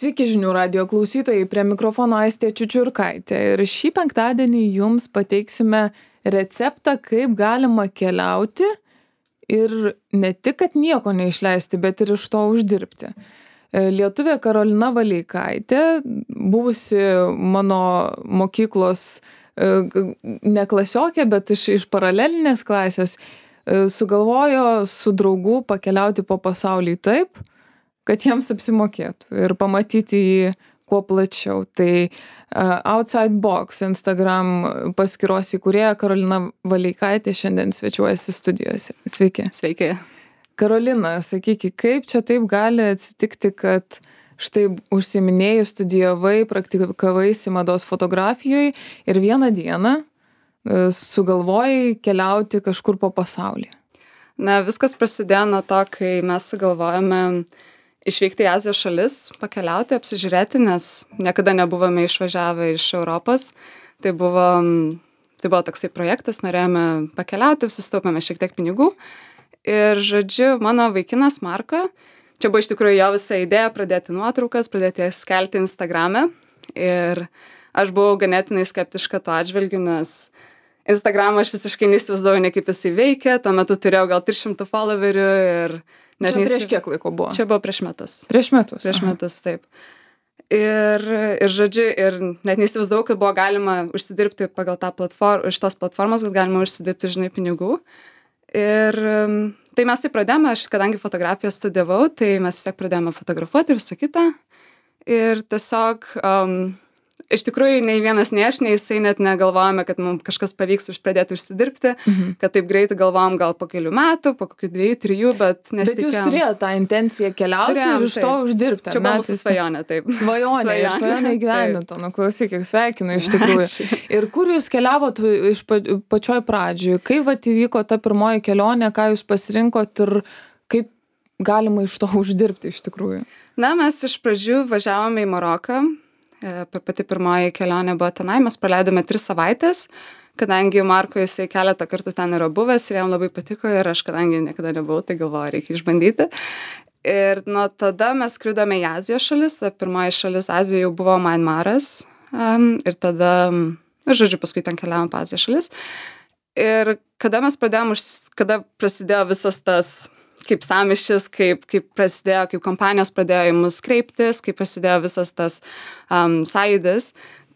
Sveiki žinių radijo klausytojai, prie mikrofono Aistė Čiučiurkaitė ir šį penktadienį jums pateiksime receptą, kaip galima keliauti ir ne tik, kad nieko neišleisti, bet ir iš to uždirbti. Lietuvė Karolina Valeikaitė, buvusi mano mokyklos ne klasiokė, bet iš paralelinės klasės, sugalvojo su draugu pakeliauti po pasaulį taip, kad jiems apsimokėtų ir pamatyti jį kuo plačiau. Tai Outside Box Instagram paskyros įkūrėja Karolina Valeikaitė šiandien svečiuojasi studijose. Sveiki. Sveiki. Karolina, sakyki, kaip čia taip gali atsitikti, kad štai užsiiminėjai, studijavai, praktikavaisi mados fotografijoje ir vieną dieną sugalvojai keliauti kažkur po pasaulį? Na, viskas prasidėjo nuo to, kai mes sugalvojame išvykti į Azijos šalis, pakeliauti, apsižiūrėti, nes niekada nebuvome išvažiavę iš Europos. Tai buvo toksai projektas, norėjome pakeliauti, susitaupėme šiek tiek pinigų. Ir, žodžiu, mano vaikinas Marko, čia buvo iš tikrųjų jo visa idėja pradėti nuotraukas, pradėti jas skelti Instagrame. Ir aš buvau ganėtinai skeptiška tuo atžvilgiu, nes Instagramą aš visiškai neįsivaizduoju, ne kaip jisai veikia. Tuo metu turėjau gal 300 followerių ir Čia prieš kiek laiko buvo? Čia buvo prieš metus. Prieš metus? Prieš metus, taip. Ir žodžiu, ir net neįsivaizdavau, kad buvo galima užsidirbti pagal tą platformą, iš tos platformos, kad galima užsidirbti, žinai, pinigų. Ir tai mes tai pradėjome, aš kadangi fotografiją studijavau, tai mes vis tiek pradėjome fotografuoti ir visą kitą. Ir tiesiog iš tikrųjų nei vienas nei aš, nei jisai net negalvojame, kad mums kažkas pavyks pradėti užsidirbti, kad taip greitai galvojom gal po kelių metų, po kokių 2-3, bet nesitikėjom. Bet jūs turėjote tą intenciją keliauti ir iš to uždirbti. Čia buvo mūsų svajonė, taip. Svajonė įgyvendinta. Nu, klausyk, sveikinu iš tikrųjų. Ir kur jūs keliavot iš pačioj pradžioj? Kaip vat įvyko ta pirmoji kelionė, ką jūs pasirinkot ir kaip galima iš to uždirbti iš tikrųjų? Na, mes iš pradžių važiavome į Maroką. Pati pirmoji kelionė buvo tenai, mes praleidome 3 savaitės, kadangi Marko jisai keletą kartų ten yra buvęs ir jam labai patiko ir aš kadangi niekada nebuvau, tai galvoju, reikia išbandyti. Ir nuo tada mes skridome į Azijos šalis, ta pirmoji šalis Azijoje jau buvo Myanmaras ir tada, žodžiu, paskui ten keliavom po Azijos šalis. Ir kada prasidėjo visas tas kaip sąmyšis, kaip prasidėjo, kaip kompanijos pradėjo į mus kreiptis, kaip prasidėjo visas tas sąjūdis.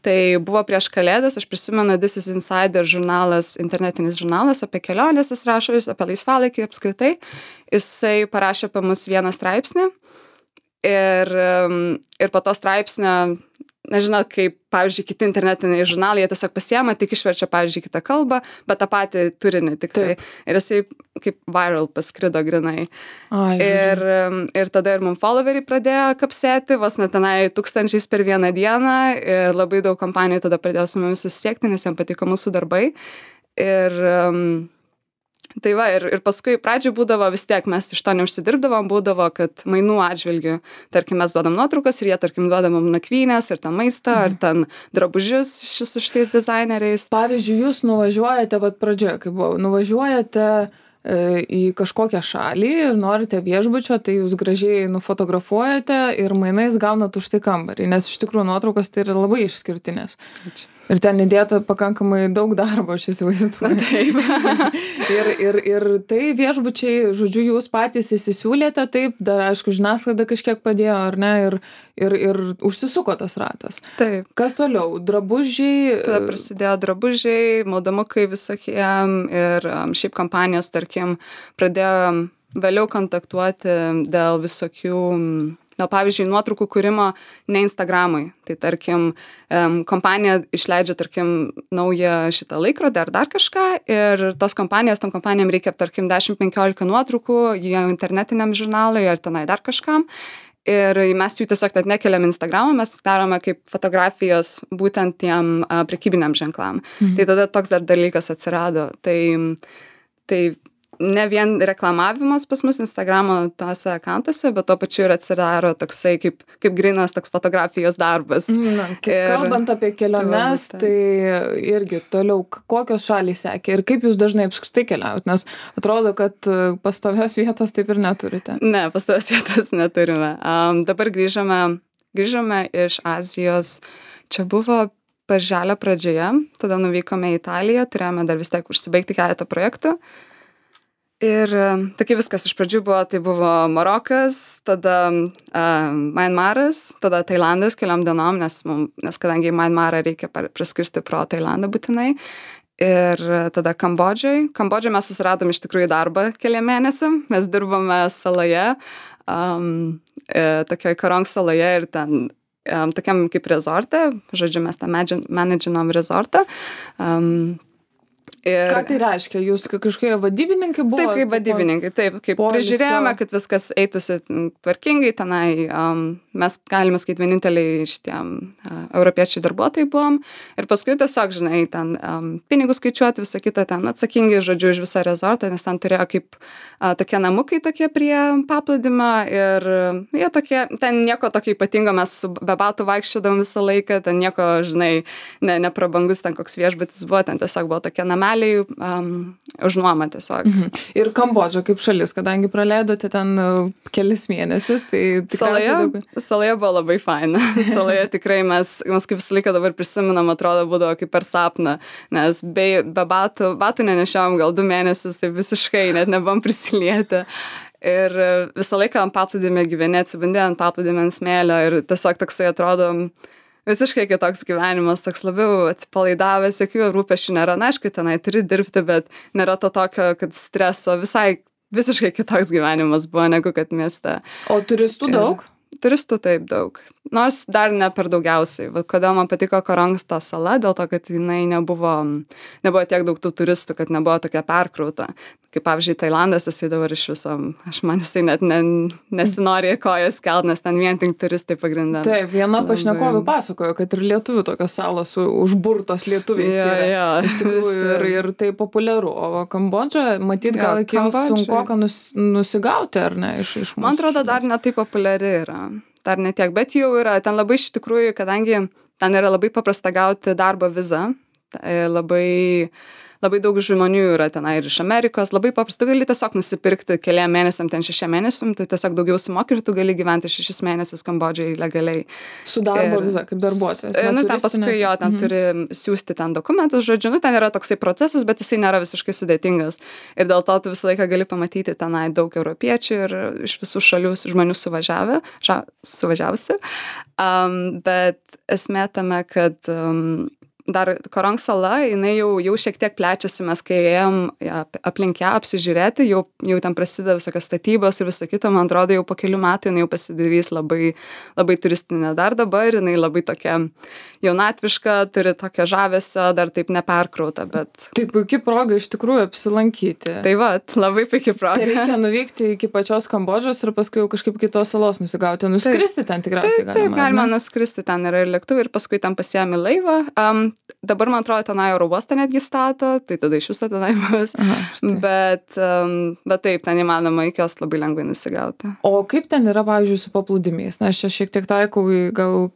Tai buvo prieš Kalėdas, aš prisimenu, This is Insider žurnalas, internetinis žurnalas apie keliones, jis rašo, apie laisvalaikį apskritai. Jisai parašė apie mus vieną straipsnį ir po to straipsnio, nežinau, kaip, pavyzdžiui, kiti internetiniai žurnalai, jie tiesiog pasiema, tik išverčia, pavyzdžiui, kitą kalbą, bet tą patį turinį tik tai. Ir jisai kaip viral paskrido grinai. Ir tada ir mums followeriai pradėjo kapsėti, vos net tenai 1000 per vieną dieną ir labai daug kompanijų tada pradėjo su mumis susisiekti, nes jiems patiko mūsų darbai. Ir tai va, ir paskui pradžioj būdavo vis tiek, mes iš to neužsidirbdavom, būdavo, kad mainų atžvilgių, tarkim, mes duodam nuotraukas ir jie, tarkim, duodam nakvynės ir ten maistą, ar ten drabužius su šitais dizaineriais. Pavyzdžiui, jūs nuvažiuojate, vat pradžioje, kai buvo, nuvažiuojate į kažkokią šalį ir norite viešbučio, tai jūs gražiai nufotografuojate ir mainais gaunat už tai kambarį, nes iš tikrųjų nuotraukos tai yra labai išskirtinės. Ačiū. Ir ten įdėta pakankamai daug darbo, aš įsivaizduoju. Taip. ir tai viešbučiai, žodžiu, jūs patys įsisiūlėte, taip, dar aišku, žiniasklaida kažkiek padėjo, ar ne, ir užsisuko tas ratas. Taip. Kas toliau? Drabužiai? Tada prasidėjo drabužiai, maudomukai visokie ir šiaip kompanijos, tarkim, pradėjo vėliau kontaktuoti dėl visokių pavyzdžiui, nuotraukų kūrimo ne Instagramui. Tai tarkim, kompanija išleidžia, tarkim, naują šitą laikrodį ar dar kažką ir tom kompanijom reikia, tarkim, 10-15 nuotraukų, jie internetiniam žurnalui ar tenai dar kažkam. Ir mes jų tiesiog net nekeliam Instagramą, mes darome kaip fotografijos būtent tiem prekybiniam ženklam. Tai tada toks dar dalykas atsirado. Tai ne vien reklamavimas pas mus Instagramo tose akantuose, bet to pačiu ir atsirado toksai kaip grynas toks fotografijos darbas. Kalbant apie keliones, tai irgi toliau, kokios šalys sekė ir kaip jūs dažnai apskritai keliaujat, nes atrodo, kad pastovios vietos taip ir neturite. Ne, pastovios vietos neturime. Dabar grįžome grįžome iš Azijos, čia buvo birželio pradžioje, tada nuvykome į Italiją, turėjome dar vis tiek užsibaigti keletą projektų. Ir tokia viskas iš pradžių buvo, tai buvo Marokas, tada Myanmaras, tada Tailandas keliom dienom, nes kadangi į Myanmarą reikia praskristi pro Tailandą būtinai. Ir tada Kambodžoj mes susiradom iš tikrųjų darbą keliam mėnesiam, mes dirbome saloje, tokioj Karong saloje ir ten tokiam kaip rezorte, žodžiu, mes tą menedžinom rezortą. Ką tai reiškia? Jūs kažkokie vadybininkai buvo? Taip, kaip vadybininkai, taip, kaip prižiūrėjome, kad viskas eitųsi tvarkingai tenai. Mes galime sakyti vieninteliai šitiem europiečiai darbuotojai buvom. Ir paskui tiesiog, žinai, ten pinigus skaičiuoti, visą kitą ten atsakingai, žodžiu, už visą rezortą, nes ten turėjo kaip tokie namukai tokie prie paplūdimio ir jie tokie, ten nieko tokio ypatingo, mes be batų vaikščiodavom visą laiką, ten nieko, žinai, neprabangus ten koks viešbutis buvo, ten tiesiog buvo tokie nameliai už nuomą tiesiog. Ir Kambodža kaip šalis, kadangi praleidote ten kelis mėnesius, tai tikriausiai Saloje buvo labai faina. Saloje tikrai mes kaip visą laiką dabar prisiminam, atrodo, būdavo kaip per sapną, nes be batų nenešiavom gal 2 mėnesius, tai visiškai net nebuvom prisilietę. Ir visą laiką ant paplūdimio gyveni, atsibandė ant paplūdimio ant smėlio ir tiesiog toksai atrodo visiškai kitoks gyvenimas, toks labiau atsipalaidavęs, jokių rūpesčių nėra. Na, aišku, tenai turi dirbti, bet nėra to tokio, kad streso, visiškai kitoks gyvenimas buvo, negu kad mieste. O turistų daug? Turistų taip daug. Nors dar ne per daugiausiai. Kodėl man patiko Karong ta sala, dėl to, kad jinai nebuvo tiek daug tų turistų, kad nebuvo tokia perkrauta. Kaip pavyzdžiui, Tailandas, jisai dabar iš viso, jisai net nesinori kojas kelt, nes ten vien tik turistai pagrindė. Taip, viena pašnekovė pasakojo, kad ir lietuvių tokios salos užburtos lietuviais yra. Iš tikrųjų, ir tai populiaru. O Kambodža, matyt, gal iki jos sunkoka nusigauti, ar ne? Man atrodo, dar ne taip populiari yra. Dar ne tiek, bet jau yra. Ten labai iš tikrųjų, kadangi ten yra labai paprasta gauti darbo vizą, labai daug žmonių yra tenai ir iš Amerikos, labai paprasta, tu gali tiesiog nusipirkti keliam mėnesiam, ten 6 mėnesiam, tai tiesiog daugiau sumoki ir tu gali gyventi 6 mėnesius Kambodžai legaliai. Su darbo viza, kaip darbuotojas. Ten paskui jo, ten turi siūsti ten dokumentus, žodžiu, ten yra toksai procesas, bet jisai nėra visiškai sudėtingas. Ir dėl to tu visą laiką gali pamatyti tenai daug europiečių ir iš visų šalių žmonių suvažiavusi. Bet esmė tame, kad dar Karong sala, jinai jau šiek tiek plečiasi, mes kai ėjom aplink ją apsižiūrėti, jau ten prasideda visokios statybos ir visą kitą, man atrodo, jau po kelių metų jinai jau pasidarys labai, labai turistinė. Dar dabar jinai labai tokia jaunatviška, turi tokią žavesio, dar taip neperkrauta, bet... Tai puikia proga iš tikrųjų apsilankyti. Tai va, labai puikia proga. Tai reikia nuvykti iki pačios Kambodžos ir paskui jau kažkaip kitos salos nusigauti, nuskristi ten tikriausiai galima. Taip, galima nuskristi, ten yra ir lėktuvai ir paskui ten pasiemi laivą. Dabar, man atrodo, tenai oro uostą netgi stato, tai tada iš viso tenai bus. Bet taip, ten įmanoma iki jos labai lengvai nusigauti. O kaip ten yra, pavyzdžiui, su paplūdimiais? Na, aš čia šiek tiek taikau gal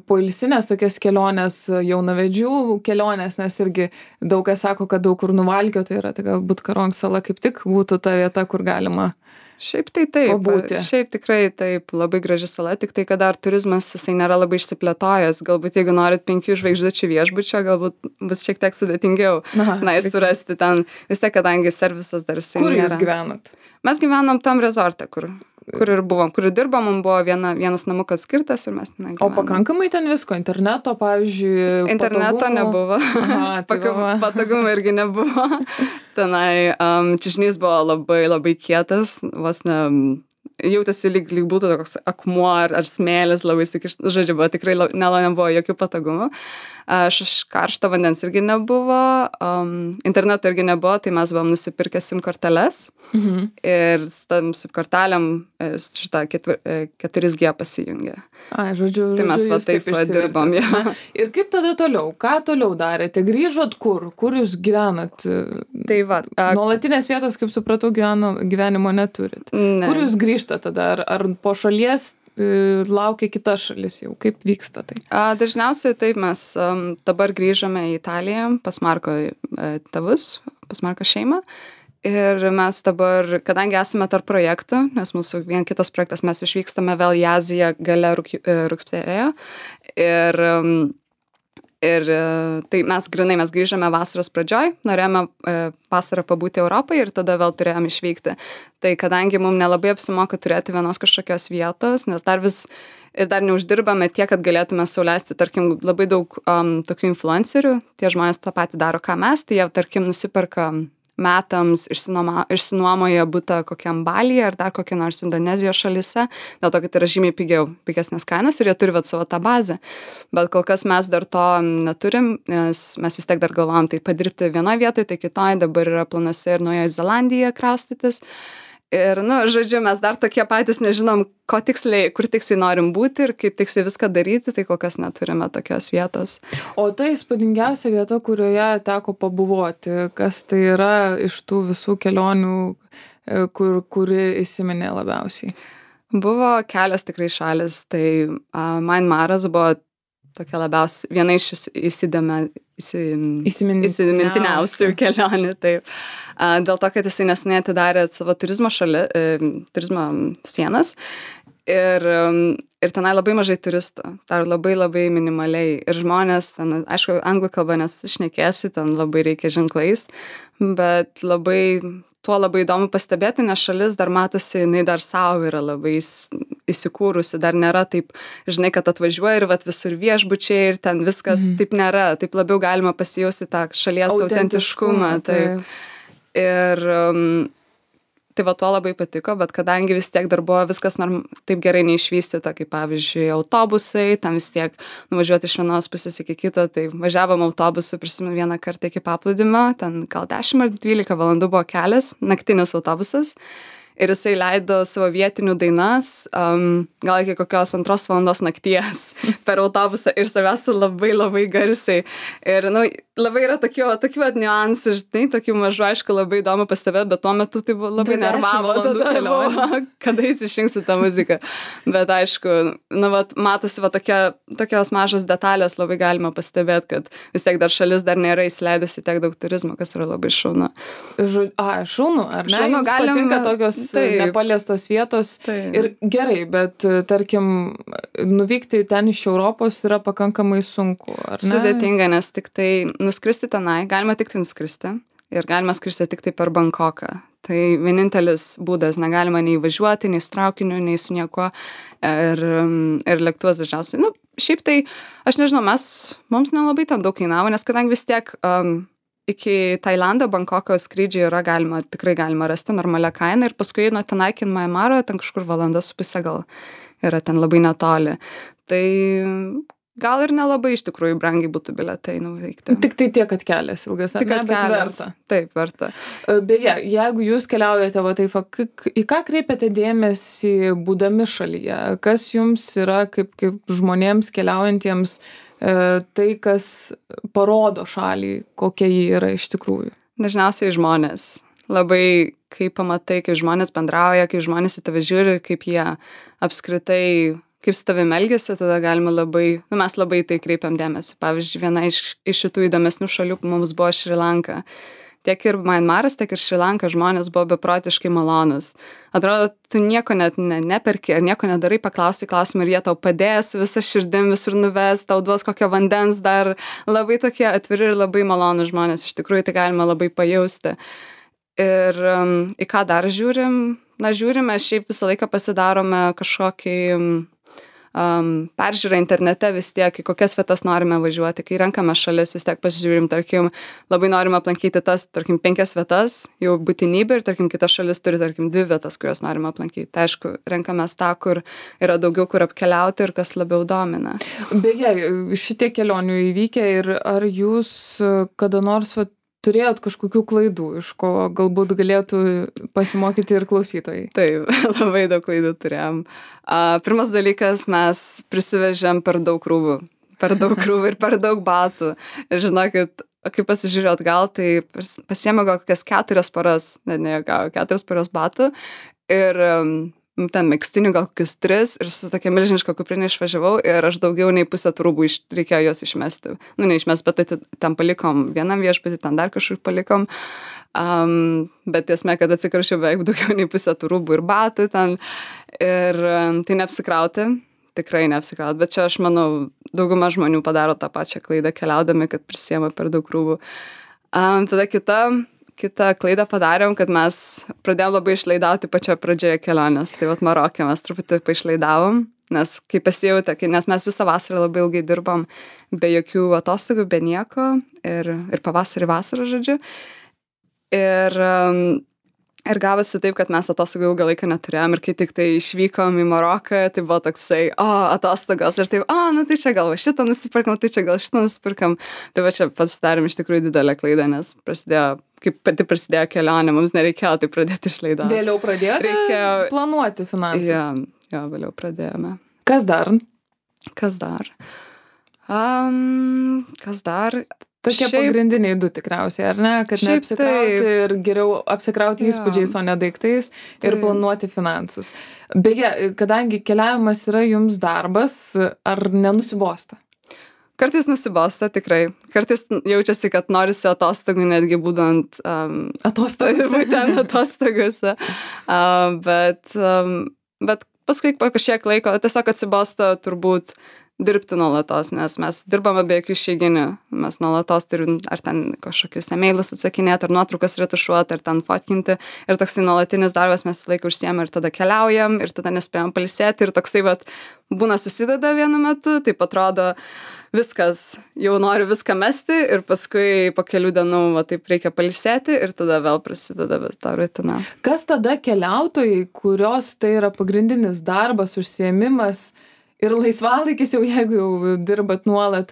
poilsinės tokias kelionės, jaunavedžių kelionės, nes irgi daug kas sako, kad daug kur nuvalkio, tai yra, tai galbūt Karong sala kaip tik būtų ta vieta, kur galima Šiaip tai taip, pabūti. Šiaip tikrai taip, labai graži sala, tik tai, kad dar turizmas jisai nėra labai išsiplėtojęs, galbūt jeigu norit 5 žvaigždučių viešbučio, galbūt bus šiek tiek sudėtingiau surasti ten, vis tiek, kadangi servisas dar jisai nėra. Kur jūs gyvenat? Mes gyvenom tam rezorte, kur ir buvom, kur dirbom, mums buvo vienas namukas skirtas ir mes ten gyvenom. O pakankamai ten visko, interneto, pavyzdžiui, interneto nebuvo, patogumų irgi nebuvo. Tenai čiužinys buvo labai, labai kietas, vos ne, jautėsi lyg būtų toks akmuo ar smėlis, labai įsikištas, žodžiu, buvo tikrai nebuvo jokių patogumų. Karšto vandens irgi nebuvo, interneto irgi nebuvo, tai mes buvom nusipirkę SIM korteles ir tam SIM kortelėm šitą 4G pasijungė. Žodžiu, tai mes va taip dirbom. Ir kaip tada toliau? Ką toliau darėte? Grįžot kur? Kur jūs gyvenat? Tai va. Nuolatinės vietos, kaip supratau, gyvenimo neturit. Ne. Kur jūs grįžtat tada? Ar po šalies laukia kita šalis jau? Kaip vyksta tai? Dažniausiai taip, mes dabar grįžome į Italiją pas Marko tėvus, pas Marko šeimą Ir mes dabar, kadangi esame tarp projektų, nes mūsų kitas projektas, mes išvykstame vėl į Aziją gale rugsėjo. Ir tai mes grįžome vasaros pradžioj, norėjome vasarą pabūti Europoje ir tada vėl turėjom išvykti. Tai kadangi mums nelabai apsimoka turėti vienos kažkokios vietos, nes dar neuždirbame tiek, kad galėtume sau leisti, tarkim, labai daug tokių influencerių, tie žmonės tą patį daro, ką mes, tai jie, tarkim, nusiperka metams išsinuomoja butą kokiam Balyje ar dar kokia nors Indonezijos šalyse, dėl to, kad yra žymiai pigesnės kainos ir jie turi savo tą bazę. Bet kol kas mes dar to neturim, nes mes vis tiek dar galvojam tai padirbti vienoje vietoje, tai kitoje, dabar yra planuose ir Naujoje Zelandijoje kraustytis. Ir, žodžiu, mes dar tokie patys nežinom, kur tiksliai norim būti ir kaip tiksliai viską daryti, tai kol kas neturime tokios vietos. O tai įspūdingiausia vieta, kurioje teko pabuvoti, kas tai yra iš tų visų kelionių, kuri įsiminė labiausiai? Buvo kelios tikrai šalis, tai Myanmaras buvo tokia labiausiai, viena iš įsimintiniausių kelionių, taip. Dėl to, kad jisai neseniai atidarė savo turizmo sienas ir tenai labai mažai turistų, dar labai minimaliai. Ir žmonės, ten, aišku, anglų kalba nesušnekėsi, ten labai reikia ženklais, bet tuo labai įdomu pastebėti, nes šalis dar matosi, jinai dar savo yra labai įsikūrusi, dar nėra taip, žinai, kad atvažiuoja ir visur viešbučiai ir ten viskas taip nėra, taip labiau galima pasijausti tą šalies autentiškumą. Taip. Ir tai tuo labai patiko, bet kadangi vis tiek dar buvo viskas taip gerai neišvystyta, kaip pavyzdžiui autobusai, tam vis tiek nuvažiuoti iš vienos pusės iki kitą, tai važiavom autobusu, prisimenu vieną kartą iki paplūdimio, ten gal 10 ar 12 valandų buvo kelias, naktinis autobusas. Ir jisai leido savo vietinių dainas, gal iki kokios 2 valandos nakties per autobusą ir savęs labai garsiai. Ir, labai yra tokių niuansų, žinai, tokių mažų, aišku, labai įdomu pastebėti, bet tuo metu tai buvo labai nervavo kelionė, kada jis išjungsi tą muziką. Bet aišku, matosi tokios mažos detalės labai galima pastebėti, kad vis tiek dar šalis dar nėra įsileidusi tiek daug turizmo, kas yra labai šaunu. Šaunu, ar ne? Jums patinka tokios nepaliestos vietos. Taip. Ir gerai, bet tarkim, nuvykti ten iš Europos yra pakankamai sunku, ar ne? Sudėtinga, nes tik tai nuskristi tenai, galima tik tai nuskristi ir galima skristi tik tai per Bankoką. Tai vienintelis būdas, negalima nei važiuoti, nei su traukiniu, nei su niekuo ir lėktuvas dažniausiai. Šiaip tai, aš nežinau, mums nelabai ten daug kainavo, nes kadangi vis tiek iki Tailando, Bankoko skrydžiai tikrai galima rasti normalią kainą ir paskui nuo tenai iki Myanmaro, ten kažkur 1.5 valandos gal yra ten labai netoli. Tai gal ir nelabai iš tikrųjų brangiai būtų bilietai nuvykti. Tik tai tiek, kad kelias ilgas, ar ne, bet verta. Taip, verta. Beje, jeigu jūs keliaujate, į ką kreipiate dėmesį būdami šalyje? Kas jums yra kaip žmonėms keliaujantiems tai, kas parodo šalį, kokia ji yra iš tikrųjų? Dažniausiai žmonės. Labai, kai pamatai, kaip žmonės bendrauja, kaip žmonės į tave žiūri, kaip jie apskritai, kaip su tavimi elgiasi, tada galima mes labai tai kreipiam dėmesį. Pavyzdžiui, viena iš šitų įdomesnių šalių mums buvo Šri Lanka. Tiek ir Myanmaras, tiek ir Šri Lanka žmonės buvo beprotiškai malonus. Atrodo, tu nieko net neperki ar nieko nedarai, paklausi klausimą ir jie tau padės visą širdim visur nuves, tau duos kokio vandens dar. Labai tokie atviri ir labai malonus žmonės, iš tikrųjų tai galima labai pajausti. Ir į ką dar žiūrim? Žiūrime, šiaip visą laiką pasidarome kažkokį peržiūrą internete vis tiek, į kokias vietas norime važiuoti, kai renkame šalis, vis tiek pasižiūrim, tarkim, labai norime aplankyti tas, tarkim, 5 vietas, jau būtinybė ir, tarkim, kita šalis turi, tarkim, 2 vietas, kurias norime aplankyti. Tai aišku, renkamės tą, kur yra daugiau kur apkeliauti ir kas labiau domina. Beje, šitie kelionių įvykę ir ar jūs kada nors turėjot kažkokių klaidų, iš ko galbūt galėtų pasimokyti ir klausytojai? Taip, labai daug klaidų turėjom. Pirmas dalykas, mes prisivežėm per daug krūvų ir per daug batų. Ir žinokit, kai pasižiūrėjau atgal, tai pasiėmė gal kokias 4 paras, 4 paras batų. Ir ten megztinių gal kokius 3 ir su tokia milžiniška kuprinė išvažiavau ir aš daugiau nei pusę tų rūbų reikėjo juos išmesti. Nu, neišmest, bet ten palikom vienam viešbutį, ten dar kažkur palikom. Bet esmė, kad atsikrašiau beveik daugiau nei pusę tų rūbų ir batų ten. Ir tai neapsikrauti, tikrai neapsikrauti. Bet čia aš manau, dauguma žmonių padaro tą pačią klaidą keliaudami, kad prisiema per daug rūbų. Tada kitą klaidą padarėm, kad mes pradėjom labai išlaidauti pačioje pradžioje kelionės. Tai vat Maroke mes truputį paišlaidavom, nes kai pasijautė, nes mes visą vasarą labai ilgai dirbom be jokių atostogų, be nieko ir pavasarį vasarą, žodžiu. Ir gavosi taip, kad mes atostogų ilgą laiką neturėjom ir kai tik tai išvykom į Maroką, tai buvo toksai, atostogos ir taip, nu tai čia gal šitą nusipirkam, tai čia gal šitą nusipirkam. Tai va čia pasidarėm iš tikrųjų didelę klaidą, nes kaip pati prasidėjo kelionė, mums nereikėjo tai pradėti išlaidauti. Vėliau pradėjote planuoti finansus? Jo, vėliau pradėjome. Kas dar? Kas dar? Tokie pagrindiniai 2 tikriausiai, ar ne? Kad neapsikrauti ir geriau apsikrauti įspūdžiais, o ne daiktais ir planuoti finansus. Beje, kadangi keliavimas yra jums darbas, ar nenusibosta? Kartais nusibosta, tikrai. Kartais jaučiasi, kad norisi atostogų, netgi būdant atostogose. Bet paskui po kažkiek laiko tiesiog atsibosta turbūt dirbti nuolatos, nes mes dirbame be jokių išeiginių. Mes nuolatos turim ar ten kažkokius emailus atsakinėti, ar nuotraukas retušuoti, ar ten fotkinti. Ir toksai nuolatinis darbas mes laiką užsiėmę ir tada keliaujam, ir tada nespėjom pailsėti. Ir toksai būna susideda vienu metu, taip atrodo viskas, jau noriu viską mesti ir paskui po kelių dienų taip reikia pailsėti ir tada vėl prasideda ta rutina. Kas tada keliautojai, kurios tai yra pagrindinis darbas, užsiėmimas, ir laisvalaikis jau, jeigu jau dirbat nuolat,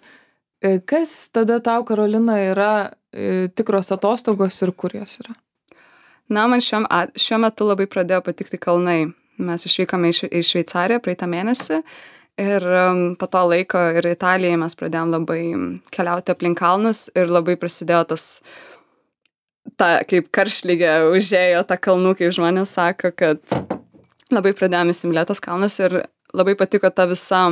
kas tada tau, Karolina, yra tikros atostogos ir kur jos yra? Man šiuo metu labai pradėjo patikti kalnai. Mes išvykome į Šveicariją praeitą mėnesį ir po to laiko ir Italijai mes pradėjom labai keliauti aplink kalnus ir labai prasidėjo kaip karštligė užėjo ta kalnų, kaip žmonės sako, kad labai pradėjome įsimylėti tos kalnus ir labai patiko ta visa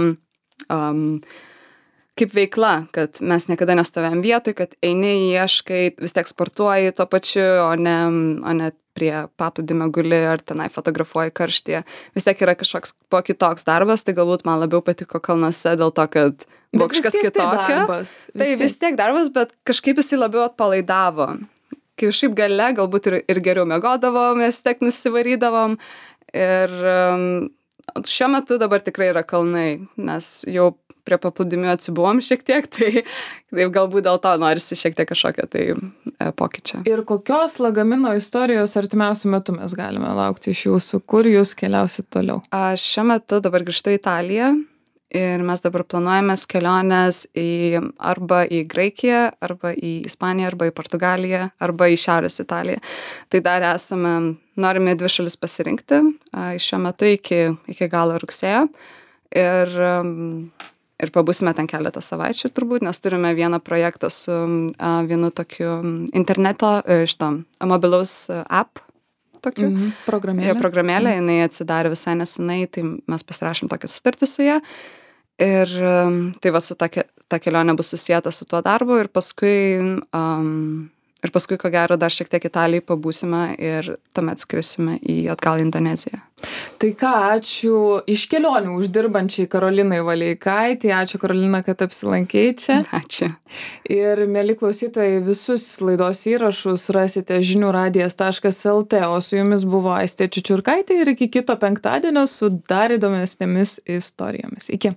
kaip veikla, kad mes niekada nestovėjom vietoj, kad eini, ieškai, vis tiek sportuoji tuo pačiu, o ne prie paplūdimio guli ar tenai fotografuoji karštyje. Vis tiek yra kažkoks kitoks darbas, tai galbūt man labiau patiko kalnuose dėl to, kad buvo kažkas kitokio. Tai vis tiek darbas, bet kažkaip jisai labiau atpalaidavo. Kai šiaip gale galbūt ir geriau miegodavom, mes tiek nusivarydavom ir šiuo metu dabar tikrai yra kalnai, nes jau prie paplūdimių atsibuvom šiek tiek, tai galbūt dėl to norisi šiek tiek kažkokio pokyčio. Ir kokios lagamino istorijos artimiausių metų mes galime laukti iš jūsų? Kur jūs keliausit toliau? Šiuo metu dabar grįžtu į Italiją ir mes dabar planuojame keliones arba į Graikiją, arba į Ispaniją, arba į Portugaliją, arba į Šiaurės Italiją. Tai dar norime 2 šalis pasirinkti šiuo metu iki galo rugsėjo ir pabūsime ten keletą savaičių turbūt, nes turime vieną projektą su vienu tokiu interneto, mobilaus app tokiu. Programėlė, jinai atsidarė visai nesenai, tai mes pasirašėm tokią sutartį su ją. Ir tai su ta kelionė bus susijęta su tuo darbu ir paskui, ko gero, dar šiek tiek Italijai pabūsime ir tuomet skrisime atgal į Indoneziją. Tai ką, ačiū iš kelionių uždirbančiai Karolinai Valeikaitei. Ačiū, Karolina, kad apsilankei čia. Ačiū. Ir, mieli klausytojai, visus laidos įrašus rasite žiniųradijas.lt, o su jumis buvo Aistė Čiučiurkaitė ir iki kito penktadienio su dar įdomesnėmis istorijomis. Iki.